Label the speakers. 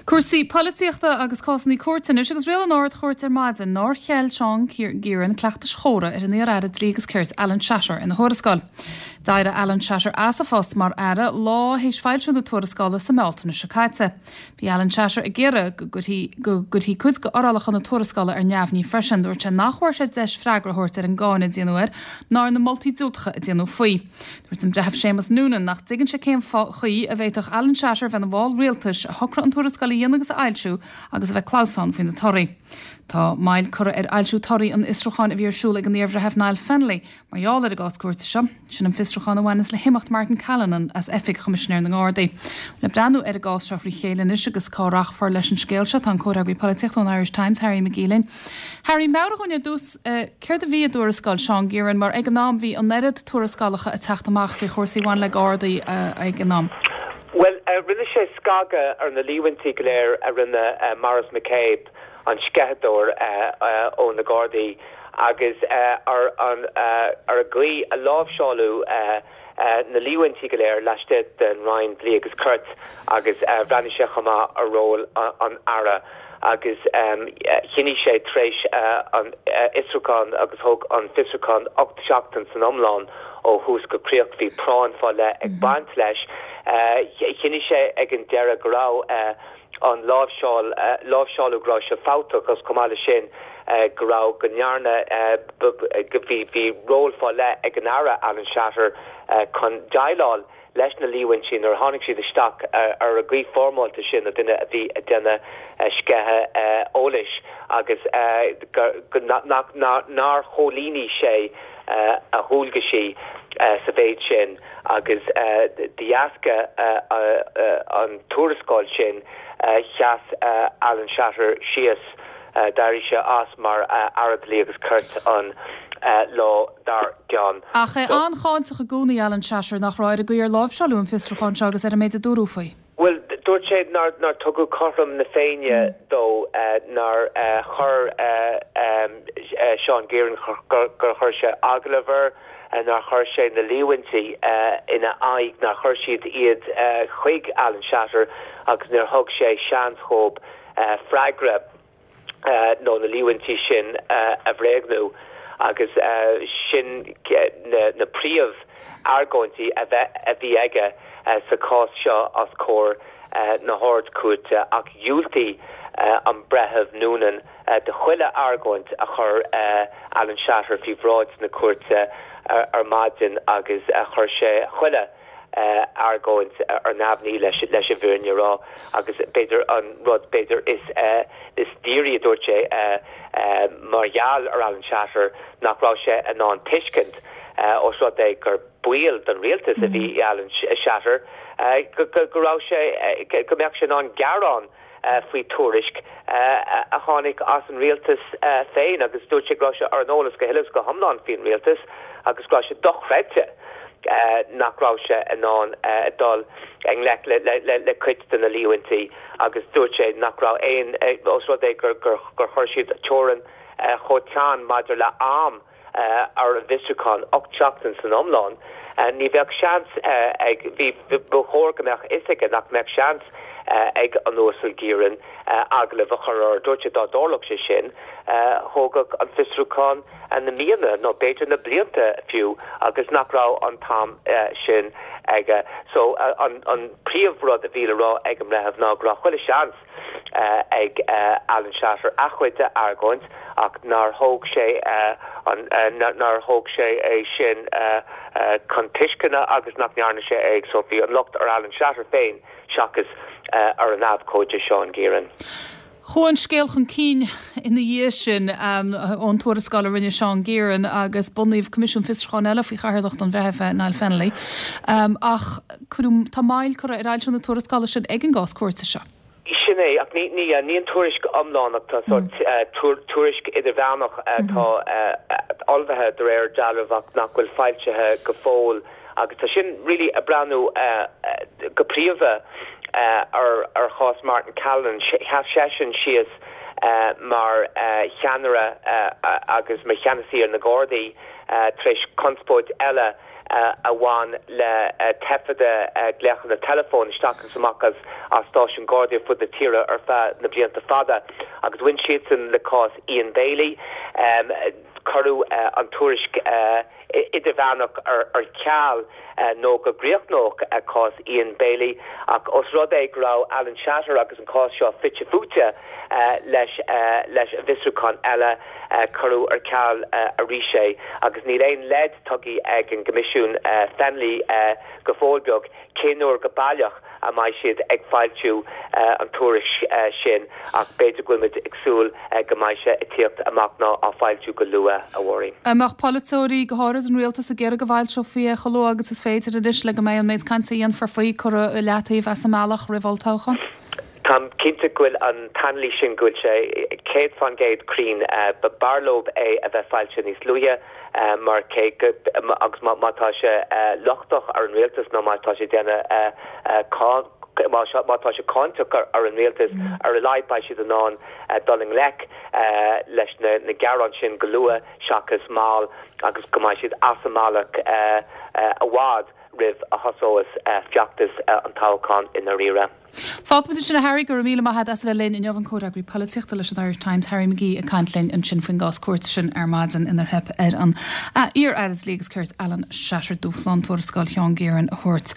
Speaker 1: Cúrsaí polaitíochta agus cásanna cúirte anois agus rialaigh an Ard-Chúirt ar maidin nár cheil Seán Gearon cleachtais chóra ar an iar-aire Dlí agus Cirt Alan Shatter ina thuarascáil. D'éirigh Alan Shatter as a phost mar aire lá théis foilsiú na tuarascála sa mBealtaine seo caite. Bhí Alan Shatter ag iarraidh go gcuirfí go gcuirfí cuid d'fhorálacha na tuarascála ar neamhní freisin. Dúirt sé nach bhfuair sé deis freagra a thabhairt ar an gcáineadh a déanadh air ná ar na moltaí diúltacha a déanadh faoi. Dúirt an Breitheamh Séamus Noonan nach dtuigeann sé cén chaoi a bhféadfadh Alan Shatter bheith ina bhall rialtais, a shocraigh an tuarascáil a dhéanamh agus a fhoilsiú agus a bheith clamhsán faoi na torthaí. Tá moill curtha ar fhoilsiú torthaí an fhiosrúcháin a bhí ar siúl ag an iarBhreitheamh Niall Fennelly mar gheall ar an gcás cúirte seo. Sin an fiosrúchán a bhaineanns le himeacht Martin Callinan as oifig Choimisinéir na nGardaí. Le breathnú ar an gcás seo thrí chéile anois agus cá rachfar leis an scéal seo tá an comhfhreagraí polaitíochta ón Irish Times, Harry McGee linn. Harry, meabhraigh dhúinn ar dtús céard a bhí i dtuarascáil Seán Gearon mar ag an am bhí an oiread tuarascálacha ag teacht amach faoi chúrsaí a bhain le Gardaí ag an am.
Speaker 2: Bhuel, rinne sé scagadh ar na líomhaintí go léir a rinne Maurice McCabe, an sceitheadóir ó na Gardaí, agus ar an gcaoi a láimhseáladh na líomhaintí go léir laistigh den Roinn Dlí agus Cirt agus bhreathnaigh sé chomh maith ar ról an Aire agus chinntigh sé tar éis an fhiosrúchán agus thóg an fiosrúchán 8 seachtain san iomlán ó thús go críoch, bhí práinn fá leith ag baint leis. Chinntigh sé ag an deireadh go raibh an láimhseáil, láimhseáladh go raibh sé fabhtach agus chomh maith leis sin go raibh, go ndearna, bhí, bhí ról fá leith ag an Aire Alan Shatter chun déileáil leis na líomhaintí nuair a tháinig siad isteach ar an gcaoi foirmeálta sin ó duine a bhí ag déanamh sceitheadh eolais agus go, nach, nár chomhlíonfaidh sé a dhualgaisí sa mhéid sin. agus de dheasca an tuarascáil sin sheas Alan Shatter síos, d'éirigh sé as mar Aire Dlí agus Cirt an lá dár gcionn.
Speaker 1: Ach é an-cháinteach i gcónaí, Alan Shatter, nach raibh, ar an gcaoi ar láimhseáladh an fiosrúchán seo agus ar an méid a dúradh faoi.
Speaker 2: Bhuel, dúirt sé nár tugadh cothrom na Féinne dó, nár chuir Seán Gearon, gur chuir sé agallamh air, nár chuir sé na líomhaintí ina aghaidh, nár chuir siad iad chuig Alan Shatter agus níor thug sé seans dhóibh freagra. nó na líomhaintí sin a bhréagnú agus sin na príomh argóintí a bhí aige sa chás seo os comhair na hArd-Chúirte ach dhiúltaigh an Breitheamh Noonan do chuile argóint a chuir Alan Shatter faoi bhráid na cúirte ar maidin agus chuir sé chuile argóint ar neamhní leis an bhfírinne a rá agus b'fhéidir an rud b'fhéidir is is dírí a dúirt sé mar gheall ar Alan Shatter nach raibh sé in ann tuiscint ós rud é gur baill den rialtas a bhí i Alan Shatter go raibh sé go mbeadh sé in ann gearán faoi tuairisc a tháinig as an rialtas féin agus dúirt sé go raibh sé ar an eolas go huile is go hiomlán faoin rialtas agus go raibh sé dochreidte nach raibh sé in ann dul i ngleic le cuid de na líomhaintí agus dúirt sé nach raibh aon, ós rud é gur chuir siad teorainn chomh teann maidir le am ar an bhfiosrúchán, 8 seachtain san iomlán, ní bheadh seans ag, bhí, ba chóir go mbeadh fhios aige nach mbeadh seans ag an Uasal Gearon agallamh a chur air. Dúirt sé dá dtarlódh sé sin, thógfadh an fiosrúchán na míonna nó b'fhéidir na blianta fiú agus nach raibh an t-am sin aige. So an príomh rud a bhí le rá ag an mbreitheamh ná go raibh chuile seans, ag Alan Shatter a chuid argóint ach nár thóg sé an nár thóg sé é sin chun tuisceana agus nach ndearna sé é so bhí an locht ar Alan Shatter féin seachas ar an abhcóide Seán Gearon.
Speaker 1: Chuaigh an scéal chun cinn ina dhiaidh sin ón tuarascáil a rinne Seán Gearon agus bunaíodh Coimisiún Fiosrúcháin eile faoi chathaoirleacht an Bhreithimh Niall Fennelly ach cuireadh, tá moill curtha ar fhoilsiú na tuarascála sin ag an gcás cúirte seo.
Speaker 2: Sin é, ach ní, ní, ní an tuairisc iomlán ach tá sórt tuairisc idirmheánach atá ullmhaithe de réir dealraimh ach nach bhfuil foilsithe go fóill agus tá sin really ag breathnú go príomha ar ar chás Martin Callinan. Sheas seisean síos mar cheannaire agus mar cheannasaí ar na Gardaí. tar éis conspóid eile a bhain le taifeadadh glaochanna teileafóin isteach agus amach as stáisiúin Gardaí ar fud na tíre ar feadh na blianta fada agus bhain siadsan le cás Ian Bailey. Cuireadh an tuairisc idirmheánach ar ceal nó go gcríochnódh cás Ian Bailey ach os rud é go raibh Alan Shatter agus an cás seo fite fuaite leis leis an bhfiosrúchán eile, cuireadh ar ceal arís é agus níl aon leid tugtha ag an gCoimisiún Fennelly go fóill beag cén uair go baileach a mbeidh siad ag foilsiú an tuairisc sin ach b'fhéidir go bhfuil muid ag súil go mbeidh sé ag tíocht amach nó á foilsiú go luath, a Mháirín.
Speaker 1: An mbeadh polaiteoirí, go háirid an rialtas, ag iarraidh go bhfoilseofaí é chomh luath agus is féidir anois le go mbeidh an méid cainte a dhéanfar faoi curtha i leataobh as an mbealach roimh olltoghchán?
Speaker 2: Táim cinnte go bhfuil an t-anailís sin, go bhfuil sé 100% cruinn. B'fhearr leo é a bheith foilsithe níos luaithe mar cé go, agus má tá sé lochtach ar an rialtas nó má tá sé ag déanamh, má tá sé cáinteach ar an rialtas, ar a laghad beidh siad in ann dul i ngleic leis na gearáin sin go luath seachas mall agus go mbeidh siad as an mbealach i bhfad roimh a thosós feachtas an toghcháin i ndáiríre.
Speaker 1: Fágfaimid ansin é Harry, go raibh míle maith agat as a bheith linn inniu, an comhfhreagraí polaitíochta leis an Irish Times, Harry McGee ag caint linn ansin faoin gcás cúirte sin ar maidin inar theip ar an iar-Aire Dlí agus Cirt Alan Shatter dúshlán tuarascáil Sheán Gearan a thabhairt.